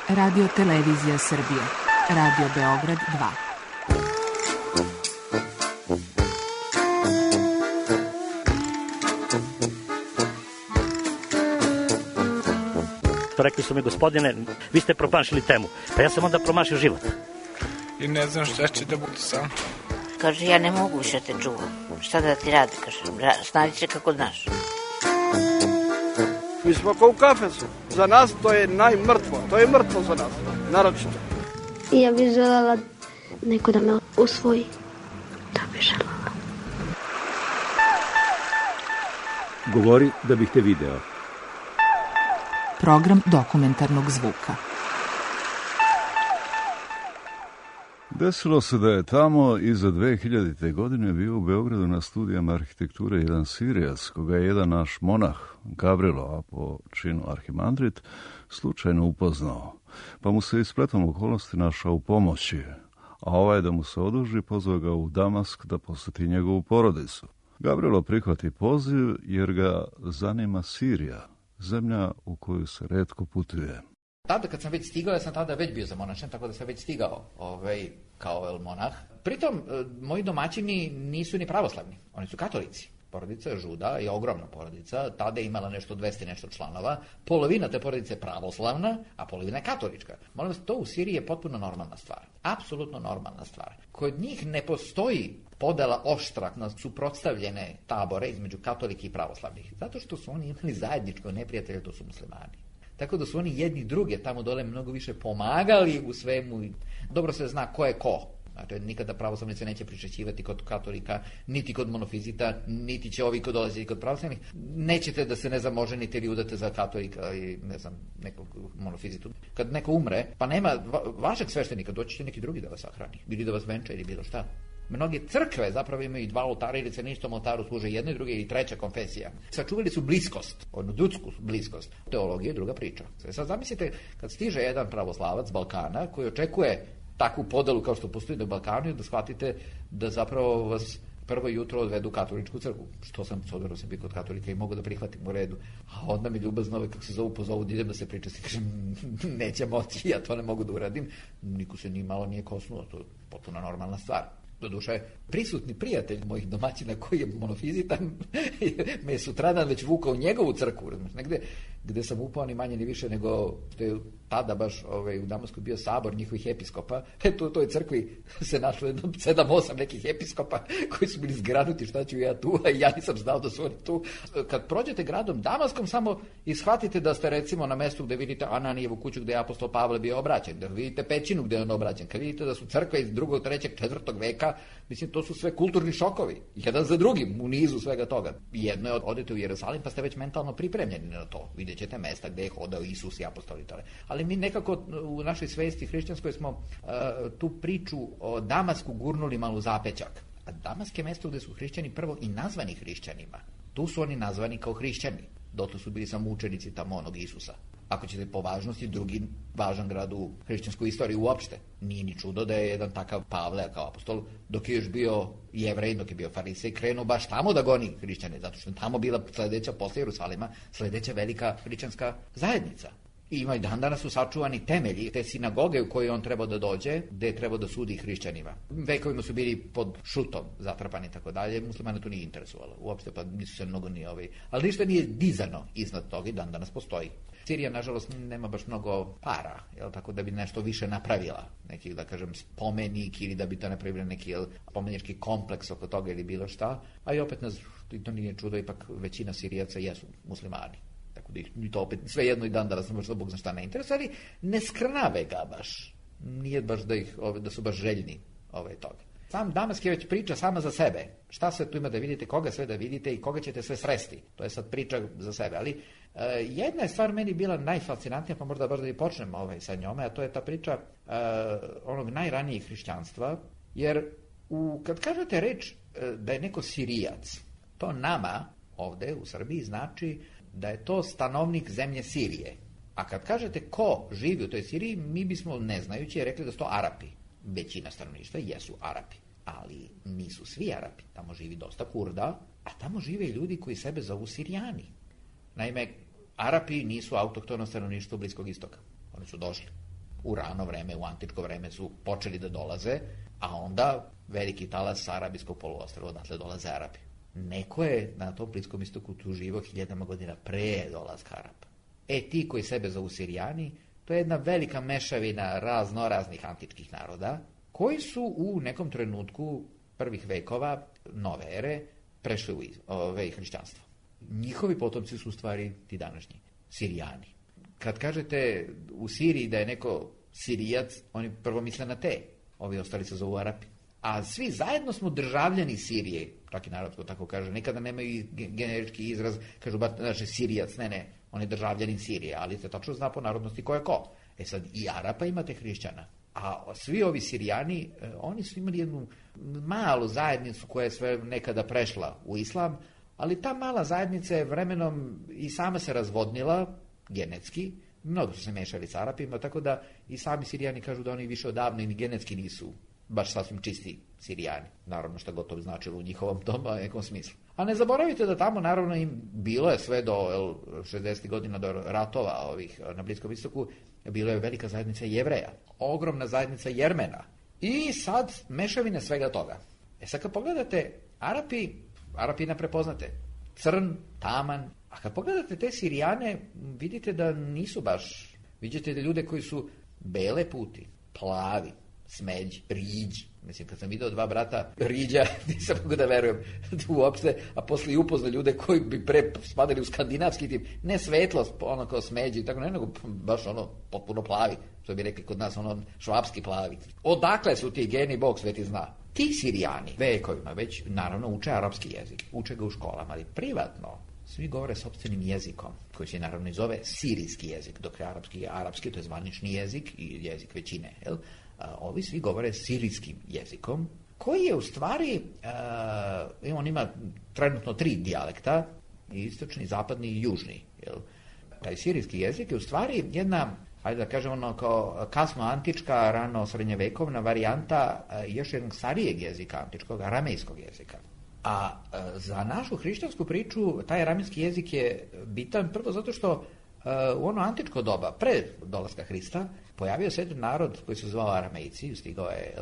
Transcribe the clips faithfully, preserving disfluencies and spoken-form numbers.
Radio Televizija Srbije. Radio Beograd dva. Rekli su mi, gospodine, vi ste promašili temu. Pa ja sam onda promašio život. I ne znam šta će da bude sam. Kaže, ja ne mogu više te čuvam. Šta da ti radi, kaže, snađi se kako znaš. Mi smo kao u kafesu. Za nas to je najmrtvo. To je mrtvo za nas, naročito. Ja bih želela neko da me usvoji. Da bih želela. Govori da bih te video. Program dokumentarnog zvuka. Desilo se da je tamo iza dve hiljadite. godine bio u Beogradu na studijama arhitekture jedan Sirijac, koga je jedan naš monah, Gavrilo, a po činu arhimandrit, slučajno upoznao. Pa mu se ispletom okolnosti našao u pomoći, a ovaj da mu se oduži pozvao ga u Damask da posjeti njegovu porodicu. Gavrilo prihvati poziv jer ga zanima Sirija, zemlja u koju se retko putuje. Tada kad sam već stigao, ja sam tada već bio zamonašen, tako da sam već stigao ovaj, kao el monah. Pritom, moji domaćini nisu ni pravoslavni, oni su katolici. Porodica Žuda je ogromna porodica, tada je imala nešto dvesta nešto članova, polovina te porodice je pravoslavna, a polovina je katolička. Molim vas, to u Siriji je potpuno normalna stvar, apsolutno normalna stvar. Kod njih ne postoji podela oštra na suprotstavljene tabore između katolike i pravoslavnih, zato što su oni imali zajedničko neprijatelje, to su muslimani. Tako da su oni jedni druge tamo dole mnogo više pomagali u svemu. Dobro se zna ko je ko. Znači, nikada pravoslavnice neće pričećivati kod katolika, niti kod monofizita, niti će ovi kod dolaziti kod pravoslavnih. Nećete da se, ne znam, oženite ili udate za katolika i, ne znam, nekog monofizitu. Kad neko umre, pa nema va, vašeg sveštenika, doći će neki drugi da vas sahrani. Ili da vas venča ili bilo šta. Mnoge crkve zapravo imaju dva oltara ili se na istom oltaru služe jedne, druge i treća konfesija. Sačuvali su bliskost, onu ljudsku bliskost. Teologija je druga priča. Sad zamislite kad stiže jedan pravoslavac s Balkana koji očekuje takvu podelu kao što postoji na Balkanu, da shvatite da zapravo vas prvo jutro odvedu u katoličku crkvu. Što sam, s obzirom sam bio kod katolika i mogu da prihvatim u redu. A onda mi ljubazno ove, kako se zovu, pozovu da idem da se pričasti. Kažem, neće moći, ja to ne mogu da uradim. Niko se ni malo nije kosnuo, to je potpuno normalna stvar. Doduše, prisutni prijatelj mojih domaćina koji je monofizitan me je sutradan već vukao u njegovu crkvu, negde gde sam upao ni manje ni više nego što je tada baš ovaj, u Damasku bio sabor njihovih episkopa. Eto, u toj crkvi se našlo jedno sedam osam nekih episkopa koji su bili zgranuti šta ću ja tu, a ja nisam znao da su oni tu. Kad prođete gradom Damaskom, samo ishvatite da ste recimo na mestu gde vidite Ananijevu kuću gde je apostol Pavle bio obraćen, da vidite pećinu gde je on obraćen, kad vidite da su crkve iz drugog, trećeg, četvrtog veka, mislim, to su sve kulturni šokovi, jedan za drugim u nizu svega toga. Jedno je odete u Jerusalim pa ste već mentalno pripremljeni na to. Vidjet ćete mesta gde je hodao Isus i apostoli. Ali mi nekako u našoj svesti hrišćanskoj smo uh, tu priču o Damasku gurnuli malo zapećak. A Damask je mesto gde su hrišćani prvo i nazvani hrišćanima. Tu su oni nazvani kao hrišćani. Dotle su bili samo učenici tamo onog Isusa. Ako ćete po važnosti, drugi važan grad u hrišćanskoj istoriji uopšte. Nije ni čudo da je jedan takav Pavle kao apostol, dok je još bio Jevrej, dok je bio farisej, krenuo baš tamo da goni hrišćane, zato što je tamo bila sledeća, posle Jerusalima, sledeća velika hrišćanska zajednica. I ima i dan danas su sačuvani temelji te sinagoge u kojoj on trebao da dođe, gde je trebao da sudi hrišćanima. Vekovima su bili pod šutom zatrpani i tako dalje, muslimane to nije interesovalo. Uopšte pa nisu se mnogo ni ovaj, ali ništa nije dizano iznad toga i dan danas postoji. Sirija, nažalost, nema baš mnogo para, jel, tako da bi nešto više napravila, neki, da kažem, spomenik ili da bi to napravila neki jel, spomenički kompleks oko toga ili bilo šta, a i opet nas, to nije čudo, ipak većina Sirijaca jesu muslimani. Tako da ih to opet sve jedno i dan danas sam baš da Bog zna šta ne interesuje, ali ne skrnave ga baš. Nije baš da, ih, ove, da su baš željni ove, toga. Sam Damask je već priča sama za sebe. Šta sve tu ima da vidite, koga sve da vidite i koga ćete sve sresti. To je sad priča za sebe. Ali uh, jedna je stvar meni bila najfascinantnija, pa možda baš da i počnem ovaj, sa njome, a to je ta priča uh, onog najranijih hrišćanstva. Jer u, kad kažete reč uh, da je neko Sirijac, to nama ovde u Srbiji znači da je to stanovnik zemlje Sirije. A kad kažete ko živi u toj Siriji, mi bismo neznajući rekli da su to Arapi. Većina stanovništva jesu Arapi, ali nisu svi Arapi. Tamo živi dosta Kurda, a tamo žive i ljudi koji sebe zovu Sirijani. Naime, Arapi nisu autohtono stanovništvo Bliskog istoka. Oni su došli. u rano vreme, u antičko vreme su počeli da dolaze, a onda veliki talas sa arabijskog poluostrva, odatle dolaze Arapi. Neko je na tom Bliskom istoku tu živo hiljadama godina pre dolaska Arapa. E, ti koji sebe zovu Sirijani, to je jedna velika mešavina raznoraznih antičkih naroda, koji su u nekom trenutku prvih vekova nove ere prešli u ove hrišćanstvo. Njihovi potomci su u stvari ti današnji Sirijani. Kad kažete u Siriji da je neko Sirijac, oni prvo misle na te, ovi ostali se zovu Arapi. A svi zajedno smo državljani Sirije, čak i narodsko tako kaže, nekada nemaju generički izraz, kažu ba, znači Sirijac, ne, ne, on je državljanin Sirije, ali se tačno zna po narodnosti ko je ko. E sad, i Arapa imate hrišćana, a svi ovi Sirijani, oni su imali jednu malu zajednicu koja je sve nekada prešla u islam, ali ta mala zajednica je vremenom i sama se razvodnila, genetski, mnogo su se mešali s Arapima, tako da i sami Sirijani kažu da oni više odavno i genetski nisu baš sasvim čisti Sirijani. Naravno što gotovo značilo u njihovom tom nekom smislu. A ne zaboravite da tamo naravno im bilo je sve do šezdesetih godina, do ratova ovih na Bliskom istoku, bilo je velika zajednica Jevreja, ogromna zajednica Jermena i sad mešavine svega toga. E sad kad pogledate Arapi, Arapi ne prepoznate, crn, taman, a kad pogledate te Sirijane, vidite da nisu baš, vidite da ljude koji su bele puti, plavi, smeđi, riđi. Mislim, kad sam vidio dva brata riđa, nisam mogu da verujem uopšte, a posle i upozna ljude koji bi pre spadali u skandinavski tip, ne svetlost, ono kao smeđi, tako ne, nego baš ono potpuno plavi, što bi rekli kod nas, ono švapski plavi. Odakle su ti geni, Bog sveti zna. Ti Sirijani vekovima već, naravno, uče arapski jezik, uče ga u školama, ali privatno svi govore sopstvenim jezikom, koji se naravno i zove sirijski jezik, dok je arapski, arapski to je zvanični jezik i jezik većine, jel? A, ovi svi govore sirijskim jezikom, koji je u stvari, a, on ima trenutno tri dijalekta, istočni, zapadni i južni, jel? Taj sirijski jezik je u stvari jedna, ajde da kažemo ono kao kasno antička, rano srednjevekovna varijanta a, još jednog starijeg jezika antičkog, aramejskog jezika. A e, za našu hrišćansku priču taj aramejski jezik je bitan prvo zato što e, u ono antičko doba, pre dolaska Hrista, pojavio se jedan narod koji se zvao Aramejci, stigao je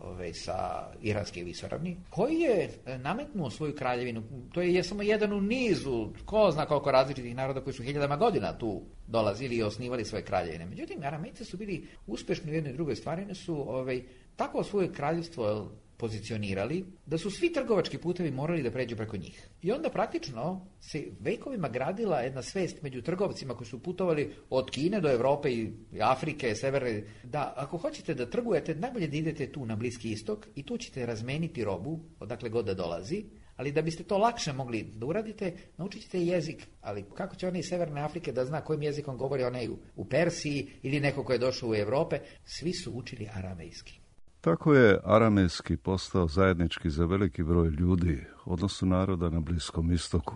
ove, sa iranske visoravni, koji je nametnuo svoju kraljevinu. To je, je samo jedan u nizu, ko zna koliko različitih naroda koji su hiljadama godina tu dolazili i osnivali svoje kraljevine. Međutim, Aramejci su bili uspešni u jednoj drugoj stvari, ne su ove, tako svoje kraljevstvo pozicionirali da su svi trgovački putevi morali da pređu preko njih. I onda praktično se vekovima gradila jedna svest među trgovcima koji su putovali od Kine do Evrope i Afrike, severne, da ako hoćete da trgujete, najbolje da idete tu na Bliski istok i tu ćete razmeniti robu, odakle god da dolazi, ali da biste to lakše mogli da uradite, naučit ćete jezik, ali kako će onaj iz Severne Afrike da zna kojim jezikom govori onaj u Persiji ili neko ko je došao u Evrope, svi su učili aramejski. Tako je aramejski postao zajednički za veliki broj ljudi, odnosno naroda na Bliskom istoku,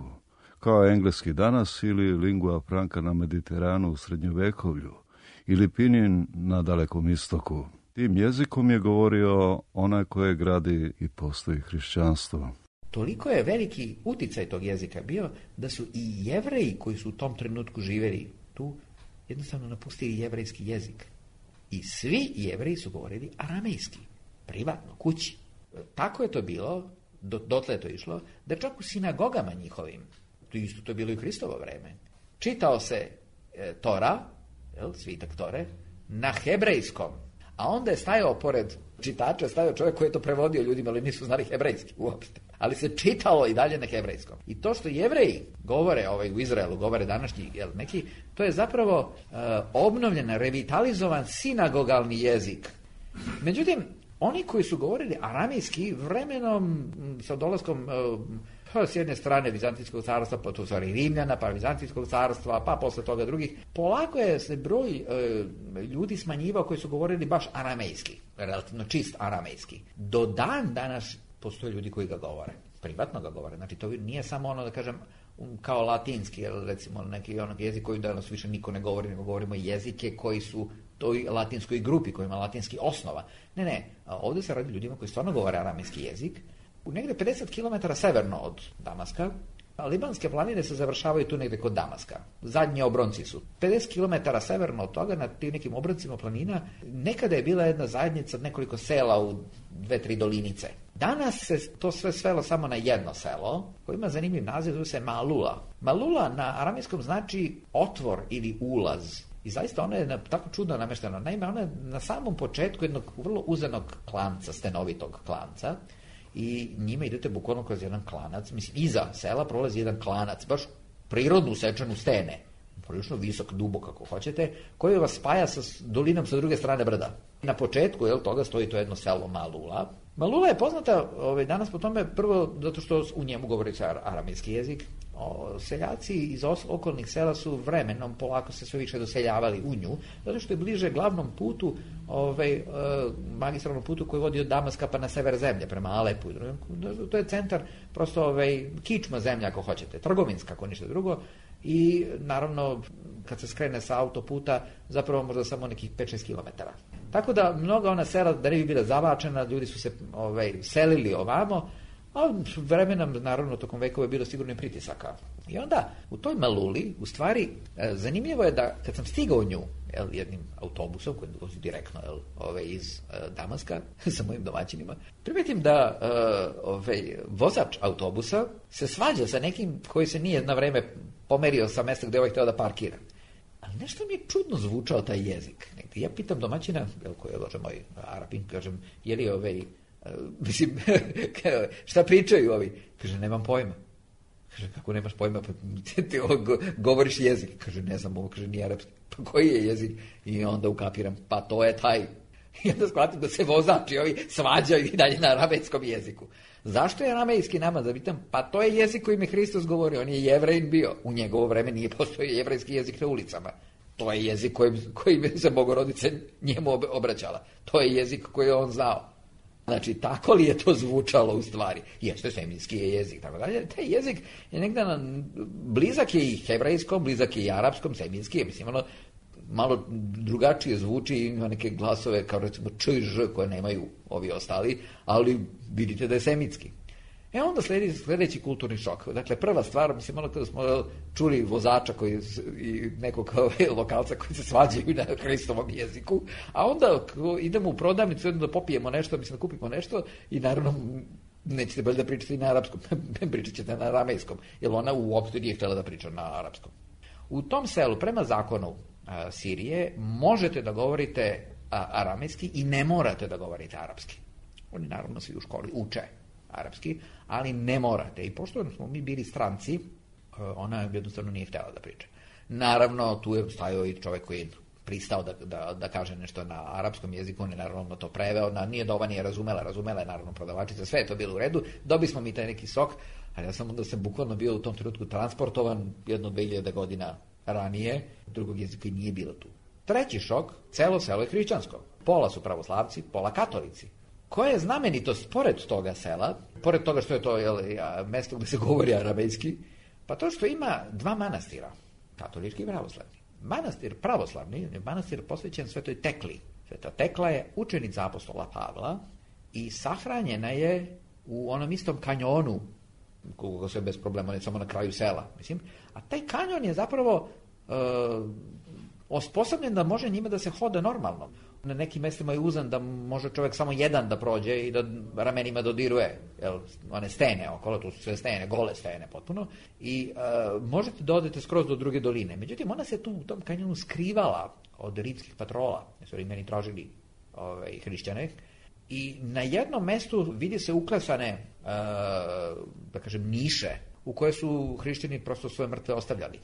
kao engleski danas ili lingua franca na Mediteranu u srednjovekovlju ili pinin na Dalekom istoku. Tim jezikom je govorio onaj koje gradi i postoji hrišćanstvo. Toliko je veliki uticaj tog jezika bio da su i Jevreji koji su u tom trenutku živjeli tu jednostavno napustili jevrejski jezik. I svi Jevreji su govorili aramejski, privatno, kući. Tako je to bilo, do, dotle je to išlo, da čak u sinagogama njihovim, to isto to je bilo i u Hristovo vreme, čitao se e, Tora, jel, svitak Tore, na hebrejskom, a onda je stajao pored čitača, stajao čovjek koji je to prevodio ljudima, ali nisu znali hebrejski uopšte. Ali se čitalo i dalje na hebrejskom. I to što Jevreji govore ovaj, u Izraelu, govore današnji, jel, neki, to je zapravo uh, obnovljen, revitalizovan sinagogalni jezik. Međutim, oni koji su govorili aramejski vremenom sa dolaskom uh, s jedne strane Vizantijskog carstva, pa to stvari Rimljana, pa Vizantijskog carstva, pa posle toga drugih, polako je se broj uh, ljudi smanjivao koji su govorili baš aramejski, relativno čist aramejski. Do dan danas postoje ljudi koji ga govore, privatno ga govore, znači to nije samo ono da kažem kao latinski, recimo neki onog jezik koji danas više niko ne govori, nego govorimo jezike koji su toj latinskoj grupi, koji ima latinski osnova. Ne, ne, ovdje se radi ljudima koji stvarno govore aramejski jezik. U negde pedeset kilometara severno od Damaska Libanske planine se završavaju tu negde kod Damaska. Zadnji obronci su. pedeset kilometara severno od toga, na tim nekim obroncima planina, nekada je bila jedna zajednica od nekoliko sela u dve, tri dolinice. Danas se to sve svelo samo na jedno selo, koje ima zanimljiv naziv, zove se Malula. Malula na aramejskom znači otvor ili ulaz. I zaista ona je na, tako čudno nameštena. Naime, ona je na samom početku jednog vrlo uzanog klanca, stenovitog klanca, i njima idete bukvalno kroz jedan klanac. Mislim, iza sela prolazi jedan klanac, baš prirodno usečen u stene, prilično visok, dubok kako hoćete, koji vas spaja sa dolinom sa druge strane brda. Na početku jel, toga stoji to jedno selo Malula. Malula je poznata ovaj, danas po tome prvo zato što u njemu govori se aramejski jezik. O, seljaci iz okolnih sela su vremenom polako se sve više doseljavali u nju, zato što je bliže glavnom putu, ovaj, e, magistralnom putu koji vodi od Damaska pa na sever zemlje, prema Alepu. To je centar, prosto ovaj, kičma zemlja ako hoćete, trgovinska ako ništa drugo. I naravno kad se skrene sa autoputa zapravo možda samo nekih pet šest kilometara. Tako da mnoga ona sela da ne bi bila zavačena, ljudi su se ovaj, selili ovamo, a vremenom naravno tokom vekova je bilo sigurno i pritisaka. I onda u toj Maluli u stvari zanimljivo je da kad sam stigao u nju jel, jednim autobusom koji dođe direktno jel, ovaj, iz uh, Damaska sa mojim domaćinima, primetim da uh, ovaj, vozač autobusa se svađa sa nekim koji se nije na vreme pomerio sa mesta gde ovaj hteo da parkira. Ali nešto mi je čudno zvučao taj jezik. Negde. Ja pitam domaćina, jel, koji je lože moj Arapin, kažem, je li ovaj, uh, mislim, šta pričaju ovi? Kaže, nemam pojma. Kaže, kako nemaš pojma, pa ti, ti go, govoriš jezik. Kaže, ne znam, ovo kaže, nije arapski. Pa koji je jezik? I onda ukapiram, pa to je taj. I onda shvatim da se vozači ovi svađaju i dalje na aramejskom jeziku. Zašto je aramejski namaz? Da pitam, pa to je jezik kojim je Hristos govorio, on je Jevrejin bio. U njegovo vreme nije postojao jevrejski jezik na ulicama. To je jezik kojim, kojim se Bogorodica njemu obraćala. To je jezik koji je on znao. Znači, tako li je to zvučalo u stvari? Jeste, seminski je jezik, tako dalje. Taj jezik je negdje na, blizak je i hebrejskom, blizak je i arapskom, seminski je, mislim, ono, malo drugačije zvuči, ima neke glasove kao recimo č i ž koje nemaju ovi ostali, ali vidite da je semitski. E onda sledi sledeći kulturni šok. Dakle, prva stvar, mislim, ono kada smo čuli vozača koji, i nekog lokalca koji se svađaju na Hristovom jeziku, a onda idemo u prodavnicu da popijemo nešto, mislim da kupimo nešto i naravno nećete bolje da pričate na arapskom, pričat ćete na aramejskom, jer ona uopšte nije htjela da priča na arapskom. U tom selu, prema zakonu a, Sirije, možete da govorite a, aramejski i ne morate da govorite arapski. Oni naravno svi u školi uče arapski, ali ne morate. I pošto smo mi bili stranci, ona jednostavno nije htjela da priča. Naravno, tu je stajao i čovjek koji je pristao da, da, da kaže nešto na arapskom jeziku, on je naravno to preveo, na, nije da ova nije razumela, razumela je naravno prodavačica, sve je to bilo u redu, dobi smo mi taj neki sok, ali ja sam onda sam bukvalno bio u tom trenutku transportovan jedno dve hiljade godina ranije, drugog jezika i nije bilo tu. Treći šok, celo selo je hrišćansko. Pola su pravoslavci, pola katolici. Koja je znamenitost pored toga sela, pored toga što je to jel, mesto gde se govori aramejski, pa to što ima dva manastira, katolički i pravoslavni. Manastir pravoslavni, manastir posvećen Svetoj Tekli. Sveta Tekla je učenica apostola Pavla i sahranjena je u onom istom kanjonu, koga se bez problema, ne samo na kraju sela, mislim. A taj kanjon je zapravo e, osposobljen da može njima da se hoda normalno. Na nekim mestima je uzan da može čovjek samo jedan da prođe i da ramenima dodiruje jel, one stene okolo, tu su sve stene, gole stene potpuno, i e, možete da odete skroz do druge doline. Međutim, ona se tu u tom kanjonu skrivala od rimskih patrola, jer su Rimljani tražili ovaj, hrišćane, i na jednom mestu vidi se uklesane, e, da kažem, niše u koje su hrišćani prosto svoje mrtve ostavljali.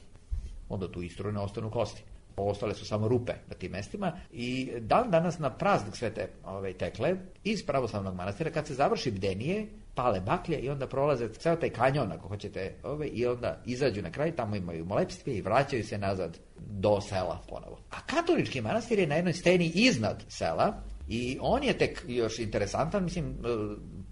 Onda tu istrujno ostanu kosti. Ostale su samo rupe na tim mestima i dan danas na praznik Svete ove, Tekle iz pravoslavnog manastira, kad se završi bdenije, pale baklje i onda prolaze ceo taj kanjon, ako hoćete, ove, i onda izađu na kraj, tamo imaju molepstve i vraćaju se nazad do sela ponovo. A katolički manastir je na jednoj steni iznad sela i on je tek još interesantan, mislim,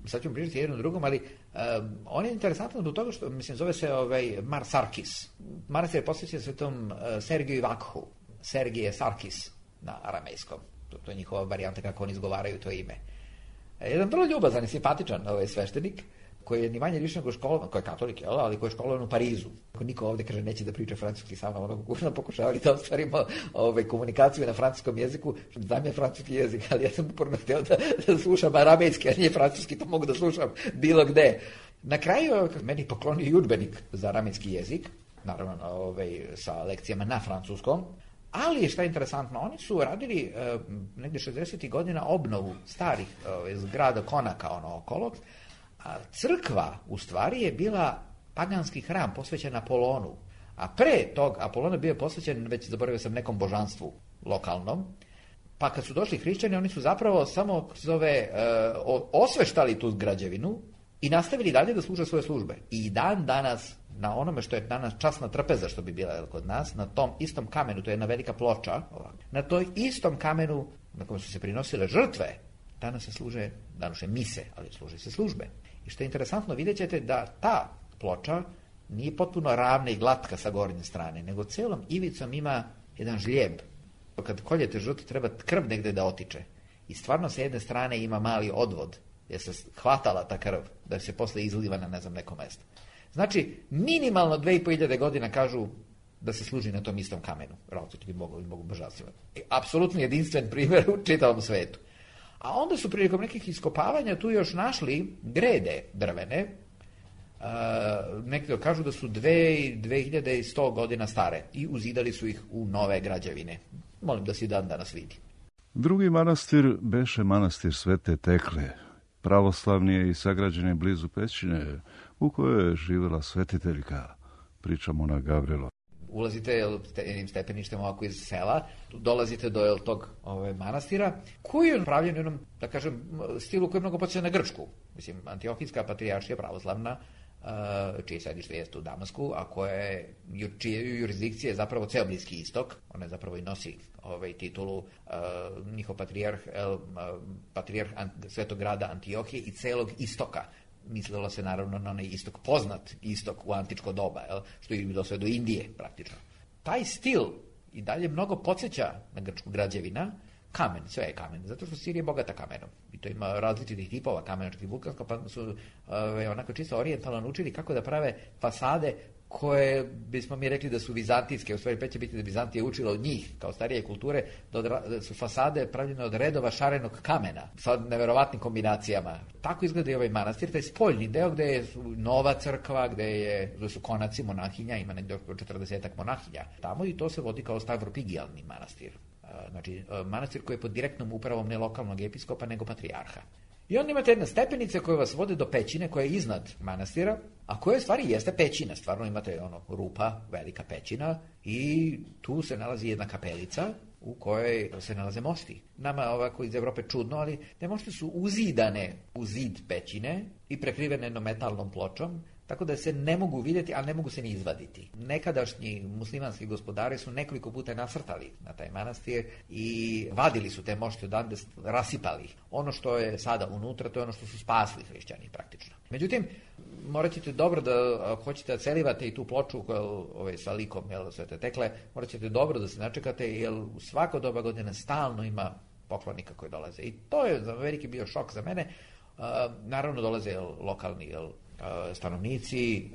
sad ću pričati jednom drugom, ali uh, on je interesantan zbog toga što, mislim, zove se ovaj, Mar Sarkis. Manastir je posvećen svetom uh, Sergiju i Vakhu. Sergije Sarkis na aramejskom. To, to je njihova varijanta kako oni izgovaraju to ime. E, jedan vrlo ljubazan i simpatičan ovaj sveštenik. koji je ni manje više nego školovan, koji je katolik, jel, ali koji je školovan u Parizu. Niko ovdje, kaže, neće da priča francuski sa mnom, ono kućno pokušavali da ostvarimo ove, komunikaciju na francuskom jeziku, znam je francuski jezik, ali ja sam uporno htio da, da slušam aramejski, a nije francuski, to mogu da slušam bilo gde. Na kraju meni poklonio i udžbenik za aramejski jezik, naravno ove, sa lekcijama na francuskom, ali šta je interesantno, oni su radili e, negdje šezdesetih godina obnovu starih e, zgrada konaka ono okolo, a crkva u stvari je bila paganski hram posvećen Apolonu, a pre tog Apolon je bio posvećen, već zaboravio sam, nekom božanstvu lokalnom, pa kad su došli hrišćani, oni su zapravo samo zove, e, osveštali tu građevinu i nastavili dalje da služe svoje službe. I dan danas, na onome što je danas časna trpeza, što bi bila kod nas, na tom istom kamenu, to je jedna velika ploča, na toj istom kamenu na kojem su se prinosile žrtve, danas se služe, danas je mise, ali služe se službe. I što je interesantno, vidjet ćete da ta ploča nije potpuno ravna i glatka sa gornje strane, nego celom ivicom ima jedan žljeb. Kad koljete žrtvu, treba krv negde da otiče. I stvarno sa jedne strane ima mali odvod, jer se hvatala ta krv, da se posle izliva na ne znam neko mesto. Znači, minimalno dve i po hiljade godina kažu da se služi na tom istom kamenu. Različiti mogu, mogu božanstvima. Apsolutno jedinstven primjer u čitavom svetu. A onda su prilikom nekih iskopavanja tu još našli grede drvene. Uh, neki kažu da su dve hiljade sto godina stare i uzidali su ih u nove građevine. Molim da se dan danas vidi. Drugi manastir beše manastir Svete Tekle. Pravoslavni je i sagrađen je blizu pećine u kojoj je živjela svetiteljka, priča monah Gavrilo. Ulazite jednim stepeništem ovako iz sela, dolazite do jel, tog ove, manastira, koji je pravljen u jednom, da kažem, stilu koji je mnogo podsjeća na Grčku. Mislim, Antiohijska patrijaršija pravoslavna, čije sedište jeste u Damasku, a koje čije jurisdikcije je zapravo ceo Bliski istok. Ona je zapravo i nosi ovaj titulu uh, njihov patrijarh, uh, patrijarh Svetog grada Antiohije i celog istoka. Mislilo se naravno na onaj istok, poznat istok u antičko doba, jel, što je bilo sve do Indije praktično. Taj stil i dalje mnogo podsjeća na grčku građevina, kamen, sve je kamen, zato što Sirija je bogata kamenom. I to ima različitih tipova kamena, čak i vulkansko, pa su uh, onako čisto orijentalno naučili kako da prave fasade koje bismo mi rekli da su vizantijske, u stvari pe će biti da Bizantija učila od njih, kao starije kulture, da, od, da su fasade pravljene od redova šarenog kamena, sa neverovatnim kombinacijama. Tako izgleda i ovaj manastir, taj spoljni deo gde je nova crkva, gde, je, gde su konaci monahinja, ima negdje oko četrdesetak monahinja. Tamo i to se vodi kao stavropigijalni manastir. Znači, manastir koji je pod direktnom upravom ne lokalnog episkopa, nego patrijarha. I onda imate jedna stepenica koja vas vode do pećine koja je iznad manastira, a koja stvari jeste pećina. Stvarno imate ono rupa, velika pećina i tu se nalazi jedna kapelica u kojoj se nalaze mošti. Nama ovako iz Evrope čudno, ali te mošti su uzidane u zid pećine i prekrivene jednom metalnom pločom, tako da se ne mogu vidjeti, ali ne mogu se ni izvaditi. Nekadašnji muslimanski gospodari su nekoliko puta nasrtali na taj manastir i vadili su te mošte odande, rasipali. Ono što je sada unutra, to je ono što su spasli hrišćani praktično. Međutim, morat ćete dobro da, ako hoćete da celivate i tu ploču koja, ovaj, sa likom jel, Svete Tekle, morat ćete dobro da se načekate, jer u svako doba godine stalno ima poklonika koji dolaze. I to je za veliki bio šok za mene. Uh, naravno dolaze jel, lokalni jel, stanovnici,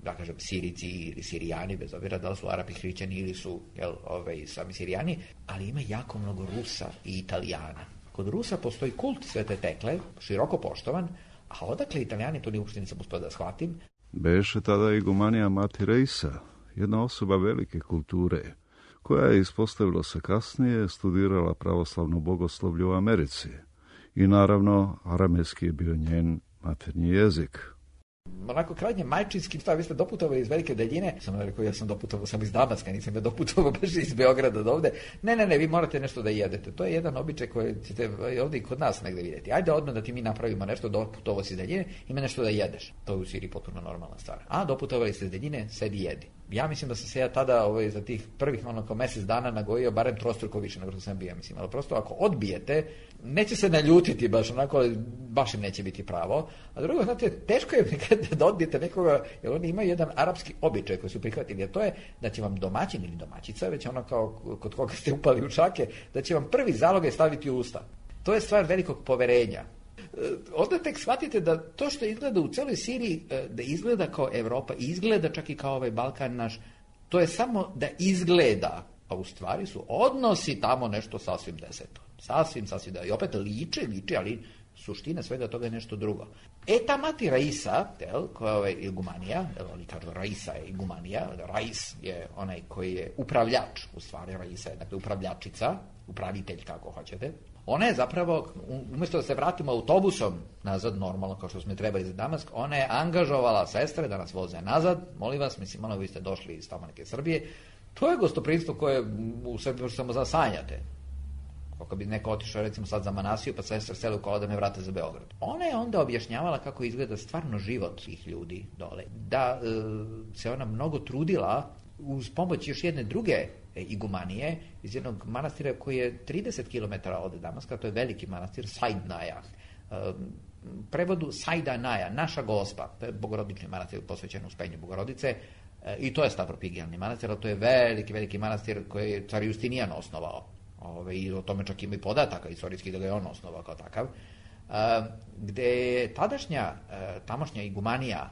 da kažem Sirici ili Sirijani, bez obzira da li su Arapi hrišćani ili su jel, ovaj, sami Sirijani, ali ima jako mnogo Rusa i Italijana. Kod Rusa postoji kult Svete Tekle, široko poštovan, a odakle Italijani, to ni uopšte nisam uspio da shvatim. Beše tada igumanija Mati Reisa, jedna osoba velike kulture, koja je, ispostavilo se kasnije, studirala pravoslavno bogoslovlje u Americi. I naravno, aramejski je bio njen maternji jezik. Onako krajnje majčinski, šta, vi ste doputovali iz velike daljine, sam rekao, ja sam doputovao sam iz Damaska, nisam ja doputovao baš iz Beograda do ovde. Ne, ne, ne, vi morate nešto da jedete. To je jedan običaj koji ćete ovdje i kod nas negde vidjeti. Ajde odmah da ti mi napravimo nešto, doputovao si iz daljine, ima nešto da jedeš. To je u Siriji potpuno normalna stvar. A doputovali ste iz daljine, sedi jedi. Ja mislim da sam se ja tada ovaj, za tih prvih onako mjesec dana nagojio barem trostruko više nego što sam bio, mislim. Ali prosto ako odbijete, neće se naljutiti baš onako, baš im neće biti pravo. A drugo, znate, teško je da odbijete nekoga, jer oni imaju jedan arapski običaj koji su prihvatili, a to je da će vam domaćin ili domaćica, već ono kao kod koga ste upali u šake, da će vam prvi zalogaj staviti u usta. To je stvar velikog poverenja. onda tek shvatite da to što izgleda u celoj Siriji, da izgleda kao Evropa, izgleda čak i kao ovaj Balkan naš, to je samo da izgleda, a u stvari su odnosi tamo nešto sasvim deseto. Sasvim, sasvim da. I opet liče, liče, ali suština svega toga je nešto drugo. E, ta mati Raisa, tel, koja je ovaj igumanija, jel, oni kažu Raisa je igumanija, Rais je onaj koji je upravljač, u stvari Raisa je, dakle, upravljačica, upravitelj, kako hoćete. Ona je zapravo, umjesto da se vratimo autobusom nazad, normalno, kao što smo trebali za Damask, ona je angažovala sestre da nas voze nazad, molim vas, mislim, ono, vi ste došli iz tamo neke Srbije, to je gostoprimstvo koje u Srbiji samo zasanjate. Kako bi neko otišao recimo sad za Manasiju pa sestra sele u kola da me vrate za Beograd. Ona je onda objašnjavala kako izgleda stvarno život tih ljudi dole. Da e, se ona mnogo trudila uz pomoć još jedne druge igumanije iz jednog manastira koji je trideset kilometara od Damaska, to je veliki manastir Sajdnaja. E, prevodu Sajdanaja, naša gospa, to je bogorodični manastir posvećen uspenju Bogorodice, e, i to je stavropigijalni manastir, ali to je veliki, veliki manastir koji je car Justinijan osnovao. Ove, i o tome čak ima i podataka istorijski da ga je on osnovao kao takav, e, gde je tadašnja, e, tamošnja igumanija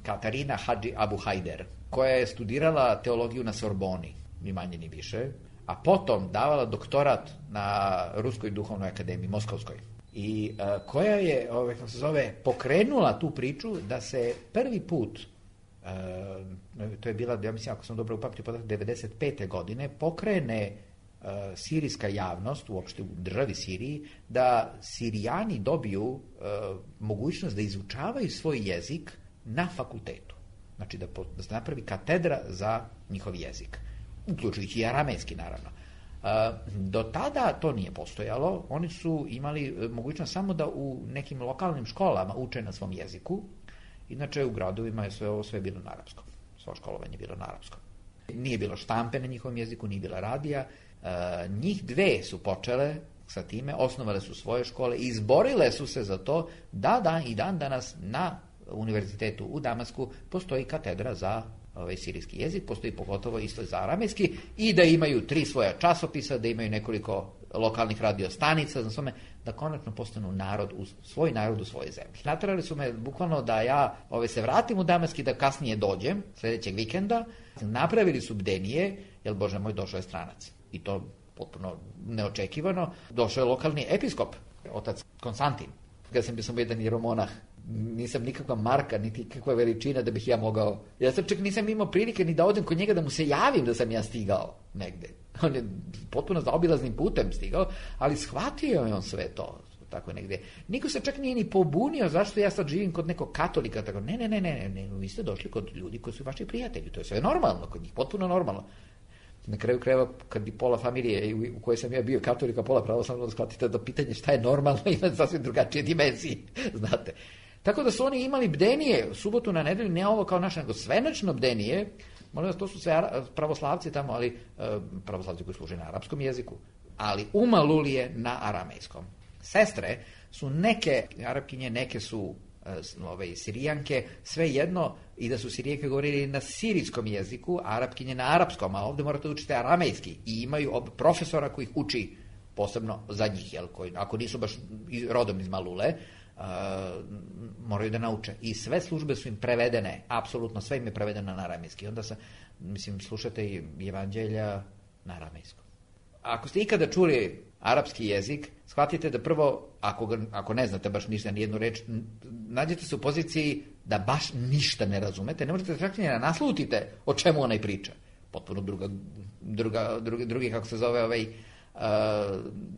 Katarina Hadži Abu Hajder, koja je studirala teologiju na Sorboni, ni manje ni više, a potom davala doktorat na Ruskoj duhovnoj akademiji, Moskovskoj, i e, koja je, ove, kako se zove, pokrenula tu priču da se prvi put, e, to je bila, ja mislim, ako sam dobro upamtio podatak, devedeset pete godine, pokrene sirijska javnost, uopšte u državi Siriji, da Sirijani dobiju uh, mogućnost da izučavaju svoj jezik na fakultetu. Znači da, po, da se napravi katedra za njihov jezik, uključujući i aramejski, naravno. Uh, do tada to nije postojalo, oni su imali mogućnost samo da u nekim lokalnim školama uče na svom jeziku, inače u gradovima je sve ovo sve bilo na arapskom. Svo školovanje je bilo na arapskom. Nije bilo štampe na njihovom jeziku, nije bila radija. Uh, njih dve su počele sa time, osnovale su svoje škole i izborile su se za to da dan i dan danas na univerzitetu u Damasku postoji katedra za ovaj sirijski jezik, postoji pogotovo isto za aramejski, i da imaju tri svoja časopisa, da imaju nekoliko lokalnih radio stanica, znači tome, da konačno postanu narod, u, svoj narod u svojoj zemlji. Naterali su me bukvalno da ja ovaj, se vratim u Damask i da kasnije dođem, sljedećeg vikenda. Napravili su bdenije, jer Bože moj, došao je stranac. I to potpuno neočekivano. Došao je lokalni episkop, otac Konstantin. Kada sam bio sam jedan jeromonah, nisam nikakva marka, niti kakva veličina da bih ja mogao. Ja sam čak nisam imao prilike ni da odem kod njega da mu se javim da sam ja stigao negde. On je potpuno zaobilaznim putem stigao, ali shvatio je on sve to. Tako negde. Niko se čak nije ni pobunio zašto ja sad živim kod nekog katolika. Tako, ne, ne, ne, ne, ne, vi ste došli kod ljudi koji su vaši prijatelji. To je sve normalno kod njih, potpuno normalno. Na kraju krajeva, kad bi pola familije u kojoj sam ja bio katolika, pola pravoslavno, da shvatite da pitanje šta je normalno ima sasvim drugačije dimenzije, znate. Tako da su oni imali bdenije, subotu na nedelju, ne ovo kao naše, nego svenačno bdenije. Molim vas, to su sve pravoslavci tamo, ali pravoslavci koji služe na arapskom jeziku, ali umalulije na aramejskom. Sestre su neke Arapkinje, neke su ove Sirijanke, sve jedno, i da su Sirijanke govorili na sirijskom jeziku, a Arapkinje na arapskom, a ovdje morate učiti aramejski, i imaju profesora koji ih uči posebno za njih, jel, koji, ako nisu baš rodom iz Malule, uh, moraju da nauče. I sve službe su im prevedene, apsolutno sve im je prevedeno na aramejski. Onda se, mislim, slušate i evanđelja na aramejskom. Ako ste ikada čuli arapski jezik, shvatite da prvo, ako, ga, ako ne znate baš ništa, nijednu reč, nađete se u poziciji da baš ništa ne razumete, ne možete čak ni da naslutite o čemu onaj priča. Potpuno druga, druga, drugi, drugi, kako se zove, ovaj, uh,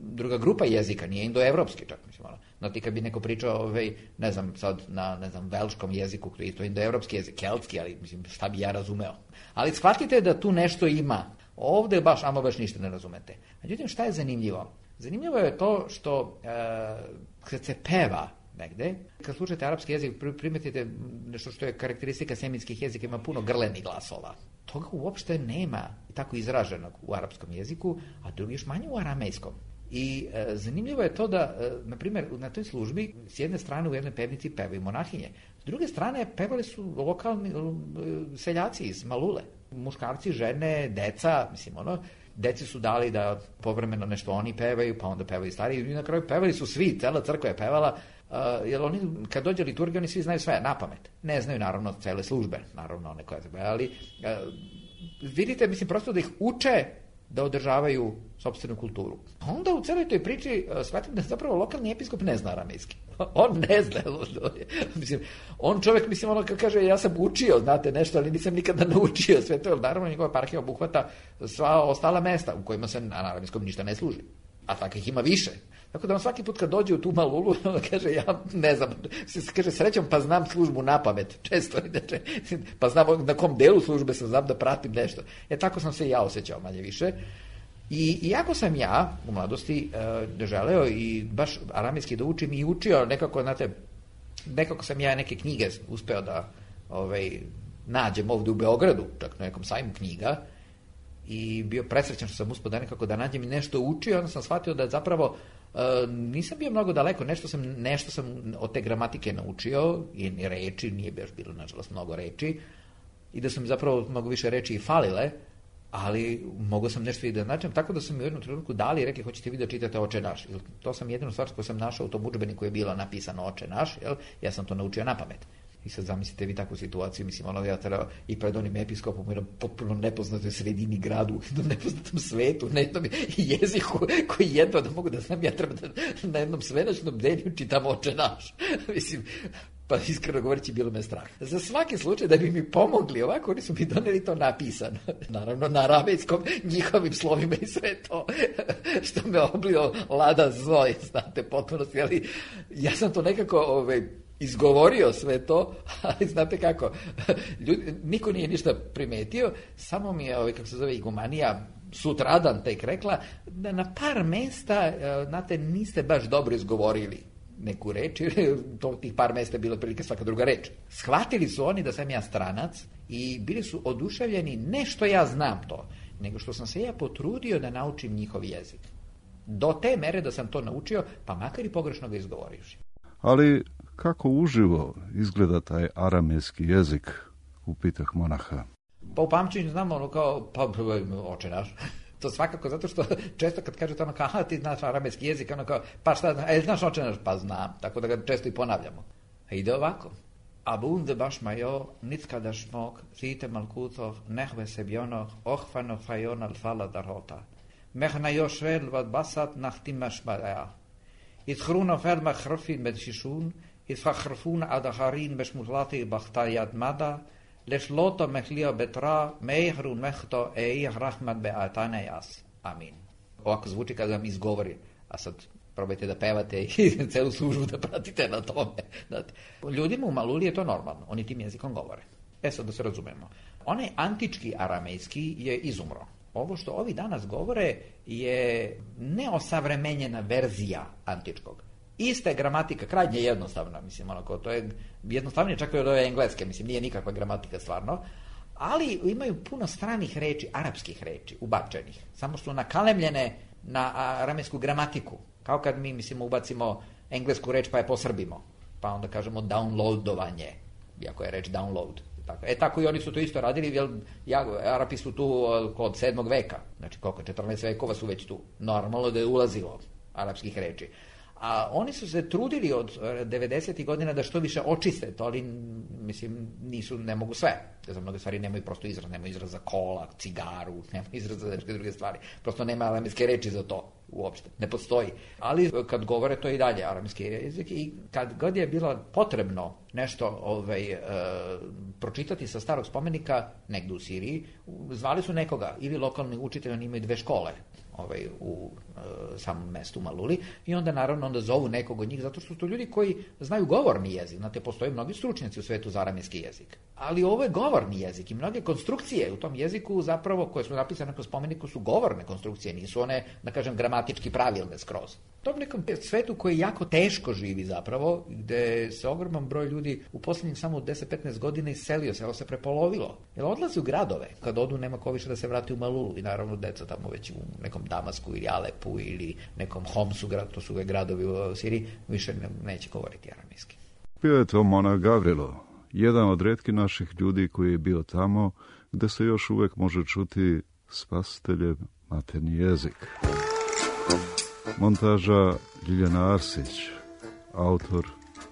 druga grupa jezika, nije indoevropski čak, mislim, ono. Znate, kad bi neko pričao, ovaj, ne znam, sad na, ne znam, velškom jeziku, koji je to indoevropski jezik, keltski, ali, mislim, šta bi ja razumeo. Ali shvatite da tu nešto ima. Ovdje baš, ama baš ništa ne razumete. Međutim, šta je zanimljivo? Zanimljivo je to što e, kad se peva negde, kad slušate arapski jezik, primetite nešto što je karakteristika semitskih jezika, ima puno grlenih glasova. Toga uopšte nema tako izraženog u arapskom jeziku, a drugi još manje u aramejskom. I e, zanimljivo je to da, e, na primjer, na toj službi s jedne strane u jednoj pevnici pevaju monahinje, s druge strane pevali su lokalni e, seljaci iz Malule. Muškarci, žene, deca, mislim, ono, deci su dali da povremeno nešto oni pevaju, pa onda pevaju stariji, i na kraju pevali su svi, cela crkva je pevala, uh, jer oni, kad dođe liturgija, oni svi znaju sve, na pamet. Ne znaju, naravno, cele službe, naravno, one koje treba, ali uh, vidite, mislim, prosto da ih uče da održavaju sopstvenu kulturu. Onda u celoj toj priči uh, shvatim da zapravo lokalni episkop ne zna aramejski. On ne zna. Mislim, on čovjek, mislim, ono kad kaže ja sam učio, znate, nešto, ali nisam nikada naučio sve to, jer naravno njegova parhija obuhvata sva ostala mesta u kojima se na aramejskom ništa ne služi. A takvih ima više. Tako da on svaki put kad dođe u tu Malulu, on kaže, ja ne znam, kaže, srećom, pa znam službu na pamet, često, znači, pa znam na kom delu službe sam, znam da pratim nešto. E, tako sam se i ja osjećao, manje više. I iako sam ja u mladosti e, želeo i baš aramejski da učim i učio, nekako, znate, nekako sam ja neke knjige uspeo da ovaj, nađem ovdje u Beogradu, čak na nekom sajmu knjiga, i bio presrećan što sam uspio da nekako da nađem i nešto učio, onda sam shvatio da zapravo e, nisam bio mnogo daleko, nešto sam, nešto sam od te gramatike naučio, i reči, nije baš bilo, nažalost, mnogo reči, i da sam zapravo mnogo više reči i falile, ali mogao sam nešto i da značem, tako da su mi u jednom trenutku dali i rekli, hoćete vi da čitate Oče naš. To sam jedinu stvar koju sam našao u tom udžbeniku koji je bilo napisano Oče naš, jel? Ja sam to naučio na pamet. I sad zamislite vi takvu situaciju, mislim, ono, ja treba i pred onim episkopom u jednom potpuno nepoznatoj sredini gradu, u jednom nepoznatom svetu, na jednom jeziku koji jedno da mogu da znam, ja treba da na jednom svenačnom denju čitam Oče naš. Mislim, pa iskreno govoreći, bilo me strah. Za svaki slučaj da bi mi pomogli ovako, oni su mi doneli to napisano. Naravno, na aramejskom, njihovim slovima i sve to, što me oblio lada zoj, znate, potpunosti, ali ja sam to nekako ovaj, izgovorio sve to, ali znate kako, ljudi, niko nije ništa primetio, samo mi je, ovaj, kako se zove, igumanija, sutradan tek rekla, da na par mesta, znate, niste baš dobro izgovorili neku reč, to tih par mesta je bilo prilike svaka druga reč. Shvatili su oni da sam ja stranac i bili su oduševljeni ne što ja znam to, nego što sam se ja potrudio da naučim njihov jezik. Do te mere da sam to naučio, pa makar i pogrešno ga izgovorivši. Ali kako uživo izgleda taj aramejski jezik, upitah monaha? Pa u pamćenju znamo ono kao, pa Oče naš. To svakako, zato što često kad kažete ono kao, aha, ti znaš aramejski jezik, ono kao, pa šta, a znaš Oče naš? Pa znam, tako da ga često i ponavljamo. A ide ovako. Abunde baš majo, nicka da šmok, zite malkutov, nehve sebjonoh, ohvano fajon al fala darota. Mehna još vel vad basat nachtimaš badaja. It hruno felma hrfin med shishun, it fachrfun adaharin bešmutlati bachtajad mada, Lešloto mehlio betra, meihrun mehto eih rahmat beatanejas. Amin. Ovako zvuči kada vam izgovori, a sad probajte da pevate i celu službu da pratite na tome. Znate. Ljudima u Maluli je to normalno, oni tim jezikom govore. E sad da se razumemo. Onaj antički aramejski je izumro. Ovo što ovi danas govore je neosavremenjena verzija antičkog. Ista je gramatika, krajnje jednostavna, mislim, onako, to je jednostavnije čak i od ove engleske, mislim, nije nikakva gramatika stvarno, ali imaju puno stranih reči, arapskih reči, ubačenih, samo što nakalemljene na aramejsku gramatiku, kao kad mi, mislim, ubacimo englesku reč pa je posrbimo, pa onda kažemo downloadovanje, iako je reč download. Tako. E tako i oni su to isto radili, jer ja, Arapi su tu od sedmog veka, znači koliko, četrnaest vekova su već tu, normalno da je ulazilo arapskih reči. A oni su se trudili od devedesetih godina da što više očiste to, ali mislim nisu, ne mogu sve. Za mnoge stvari nemaju prosto izraz, nemaju izraz za kola, cigaru, nemaju izraz za neke druge stvari. Prosto nema aramejske reči za to uopšte, ne postoji. Ali kad govore to i dalje aramejski jezik i kad god je bilo potrebno nešto ovaj, e, pročitati sa starog spomenika negde u Siriji, zvali su nekoga, ili lokalni učitelj, oni imaju dve škole ovaj, u e, samom mestu Maluli i onda naravno onda zovu nekog od njih zato što su to ljudi koji znaju govorni jezik. Znate, postoje mnogi stručnjaci u svetu za aramejski jezik. Ali ovo je govorni jezik i mnoge konstrukcije u tom jeziku zapravo koje su napisane po spomeniku su govorne konstrukcije, nisu one, da kažem, gramatički pravilne skroz. To je nekom svetu koji jako teško živi zapravo, gde se ogroman broj ljudi u posljednjih samo deset do petnaest godina iselio, selo se prepolovilo. Jer odlazi u gradove, kad odu nema ko više da se vrati u Malulu i naravno deca tamo već u nekom Damasku ili Alepu ili nekom Homsu, to su gradovi u Siriji, više ne, neće govoriti aramejski. Bio je to monah Gavrilo, jedan od retkih naših ljudi koji je bio tamo, gde se još uvek može čuti Spasitelje, maternji jezik. Montaža Ljiljana Arsić, autor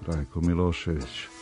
Rajko Milošević.